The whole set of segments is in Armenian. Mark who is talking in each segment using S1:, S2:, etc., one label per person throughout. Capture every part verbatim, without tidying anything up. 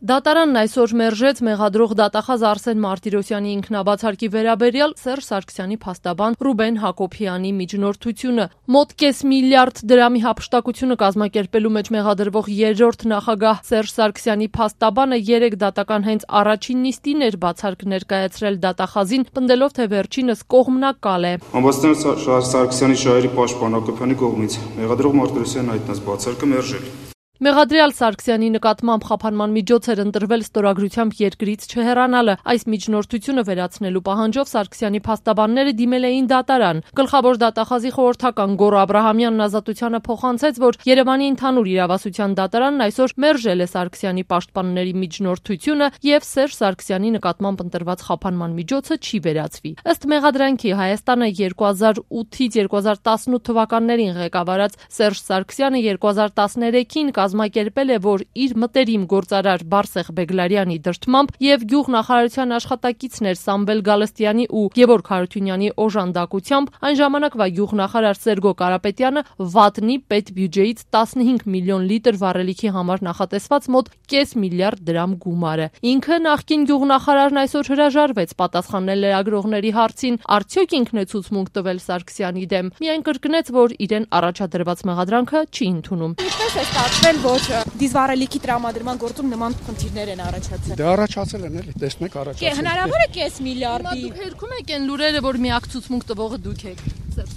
S1: Դատարանն այսօր մերժեց մեղադրող դատախազ Արսեն Մարտիրոսյանի ինքնաբացարկի վերաբերյալ Սերժ Սարգսյանի փաստաբան Ռուբեն Հակոբյանի միջնորդությունը։ Մոտ կես միլիարդ դրամի հափշտակությունը կազմակերպելու մեջ մեղադրվող երրորդ նախագահ Սերժ Սարգսյանի փաստաբանը երեք դատական հենց առաջին նիստին էր բացարկ ներկայացրել դատախազին, պնդելով, թե վերջինս կողմնակալ է։
S2: Համբարձման Սարգսյանի շահերի պաշտպան Հակոբյանի կողմից մեղադրող Մարտիրոսյանն հայտնած բացարկը մերժել։
S1: Մեղադրյալ Սարգսյանի նկատմամբ խափանման միջոց էր ընտրվել ստորագրությամբ երկրից չհեռանալը։ Այս միջնորդությունը վերացնելու պահանջով Սարգսյանի փաստաբանները դիմել էին դատարան։ Գլխավոր դատախազի խորհրդական Գոռ Աբրահամյանն Ազատությանը փոխանցեց, որ Երևանի ընդհանուր իրավասության դատարանն այսօր մերժել է Սարգսյանի պաշտպանների միջնորդությունը եւ Սերժ Սարգսյանի նկատմամբ ընտրված խափանման միջոցը չի վերացվի։ Ըստ մեղադրանքի Հայաստանը երկու հազար ութից երկու հազար տասնութ թվականներին ղեկավարած Սերժ Սարգսյանը երկու հազար տասներեքին կազմակերպել է, որ իր մտերիմ գործարար Բարսեղ Բեգլարյանի դրդմամբ եւ գյուղնախարարության աշխատակիցներ Սամվել Գալստյանի ու Գևորգ Հարությունյանի օժանդակությամբ այն ժամանակվա գյուղնախարար Սերգո Կարապետյանը վատնի պետբյուջեից տասնհինգ միլիոն լիտր վառելիքի համար նախատեսված մոտ կես միլիարդ դրամ գումարը։ Ինքը նախկին գյուղնախարարն այսօր հրաժարվեց պատասխանել լրագրողների հարցին, արդյոք ինքն է ցուցմունք տվել Սարգսյանի դեմ։ Միայն կրկնեց, որ իրեն առաջադրված մեղադրանքը չի ընդունում։
S3: Ինչպես է ստացվել, որ դիզվառելիքի տրամադրման գործում նման խնդիրներ են առաջացել։
S4: Դե առաջացել են, էլի, տեսնեք առաջացել։
S3: Հնարավոր է կես միլիարդի։
S1: Դուք հերքում եք այն լուրերը, որ միակ ցուցմունք տվողը դուք եք։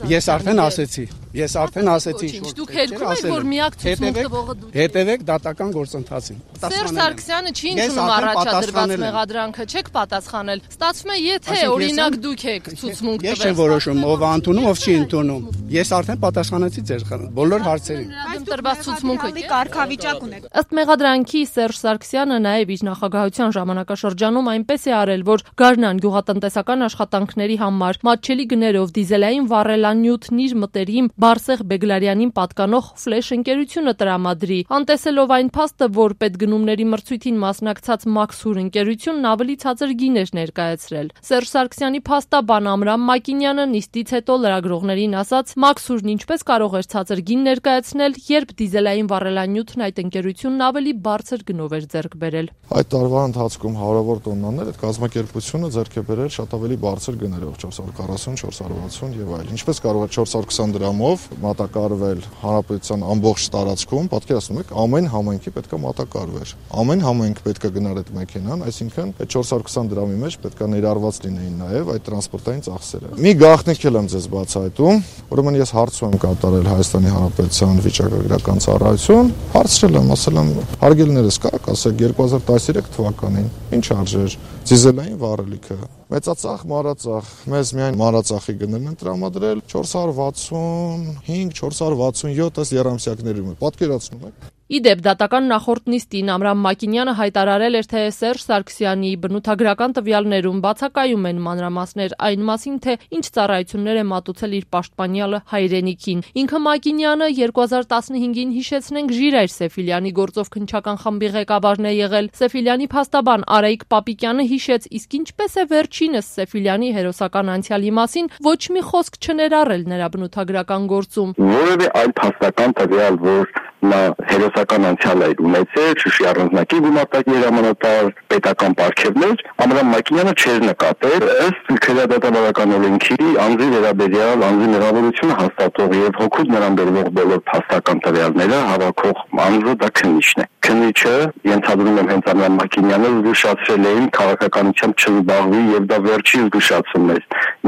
S4: Ես արդեն ասեցի, ես արդեն ասեցի,
S1: դուք հերքում եք, որ միակ ցուցմունք տվողը դուք եք։
S4: Հետևեք դատական գործընթացին։
S1: Սերժ Սարգսյանը չի ընդունում առաջադրված մեղադրանքը, չեք պատասխանել։ Ստացվում է, եթե օրինակ դուք եք ցուցմունք տվել։
S4: Ես չեմ որոշում ով է ընդունում, ով չի ընդունում։ Ես արդեն պատասխանեցի ձեր բոլոր հարցերին։
S1: Տրված ցուցմունքը
S3: կարգավիճակ ունեք։
S1: Ըստ մեղադրանքի Սերժ Սարգսյանը նաև իր նախագահության ժամանակաշրջանում այնպես է արել, որ Գարնան գյուղատնտեսական աշխատանքների համար մատչելի գներով դիզելային վառելանյութն իր մտերիմ Բարսեղ Բեգլարյանին պատկանող ֆլեշ ընկերությունը տրամադրի։ Անտեսելով այն փաստը, որ պետգնումների մրցույթին մասնակցած Մաքսուր ընկերությունն ավելի ցածր գին էր ներկայացրել։ Սերժ Սարգսյանի փաստաբան Ամրամ Մակինյանը նիստից հետո լրագրողներին ասաց, Մաքսուրն ինչպես կարող էր ցածր գին ներկայացնել, երբ դիզելային վառելանյութն այդ ընկերությունն ավելի բարձր գնով էր ձեռք բերել։
S5: Այդ տարվա ընթացքում հարյուր տոննաներ այդ կազմակերպությունը ձեռք է բերել շատ ավելի բարձր գներով չորս հարյուր քառասուն, չորս հարյուր վաթսուն եւ այլն։ Ինչպես կարող է չորս հարյուր քսան դրամով մատակարարվել հանրապետության ամբողջ տարածքում, պատկերացնում եք, ամեն համայնքի պետք է մատակարարվեր։ Ամեն համայնք պետք է գնար այդ մեքենան, այսինքն այդ չորս հարյուր քսան դրամի մեջ պետք է ներառված լինեին նաեւ այդ տրանսպորտային ծախսերը։ Մի գաղտնիք եմ ձեզ բացահայտում, ուրեմն ես հարց եմ կատարել Հայաստանի Հանրապետության վիճակագրական ծառայություն, հարցրել եմ, ասել եմ, հարգելիներս կաք, ասեք երկու հազար տասներեք թվականին ինչ արժեր դիզելային վառելիքը, մեծածախ, մանրածախ, մեզ միայն մանրածախի գներն են տրամադրել չորս հարյուր վաթսունհինգ, չորս հարյուր վաթսունյոթ ըստ եռամսյակների, պատկերացնում եք։
S1: Իդեպ դատական նախորդ նիստին Ամրամ Մակինյանը հայտարարել էր, թե Սերժ Սարգսյանի բնութագրական տվյալներում բացակայում են մանրամասներ այն մասին, թե ինչ ծառայություններ է մատուցել իր պաշտպանյալը հայրենիքին։ Ինքը Մակինյանը երկու հազար տասնհինգին հիշեցնենք Ժիրայր Սեֆիլյանի գործով քննչական խմբի ղեկավարն է եղել։ Սեֆիլյանի փաստաբան Արայիկ Պապիկյանը հիշեց, իսկ ինչպես է վերջինս Սեֆիլյանի հերոսական անցյալի մասին ոչ մի խոսք չներառել նրա բնութագրական գործում։
S6: Որևէ այլ փաստական տվյալ, որ նա հերոսական անցյալ է ունեցել, Շուշի առանձնակի գումարտակի հրամանատար, պետական պարգևներ, Ամրամ Մակինյանը չէր նկատել, ըստ քրեադատաբարական օրենքի անձի վերաբերյալ անձի մեղավորությունը հաստատող եւ հոգուց նրան բերվող բոլոր փաստական տվյալները հավաքող անձը դա քննիչն է։ Քննիչը, ենթադրում եմ հենց Ամրամ Մակինյանը զգուշացրել էին քաղաքականությամբ չզբաղվի եւ դա վերջի զգուշացումն էր։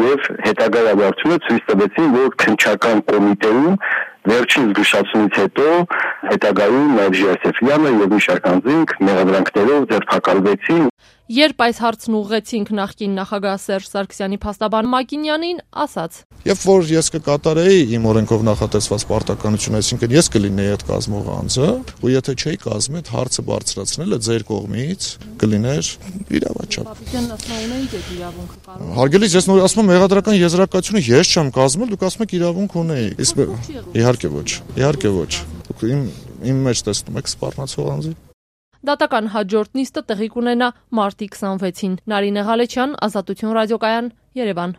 S6: Եվ հետագա իրադարձությունը ցույց տվեցին, որ քննչական կոմիտեում վերջին զգուշացումից հետո հետագայում Ժիրայր Սեֆիլյանը եւ մի շարք անձինք մեղադրանքներով ձերբակալվեցին։
S1: Երբ այս հարցն ուղղեցինք նախկին նախագահ Սերժ Սարգսյանի փաստաբան Մակինյանին, ասաց.
S5: Երբ որ ես կկատարեի իմ օրենքով նախատեսված պարտականությունը, այսինքն ես կլինեի այդ կազմող անձը, ու եթե չէի կազմի, այդ հարցը բարձրացնելը ձեր կողմից կլիներ իրավաչափ։
S1: Պապիկյանն ասում է ունեիք այդ իրավունքը կարող։
S5: Հարգելից, ես նոր ասում եմ մեղադրական եզրակացությունը ես չեմ կազմել, դուք ասում եք իրավունք ունեիք։ Իհարկե ոչ, իհարկե ոչ։ Դուք իմ իմ մեջ տեսնում եք սպառնացող անձի։
S1: Դատական հաջորդ նիստը տեղի կունենա մարտի քսանվեցին։ Նարինե Ղալեչյան, Ազատություն ռադիոկայան, Երևան։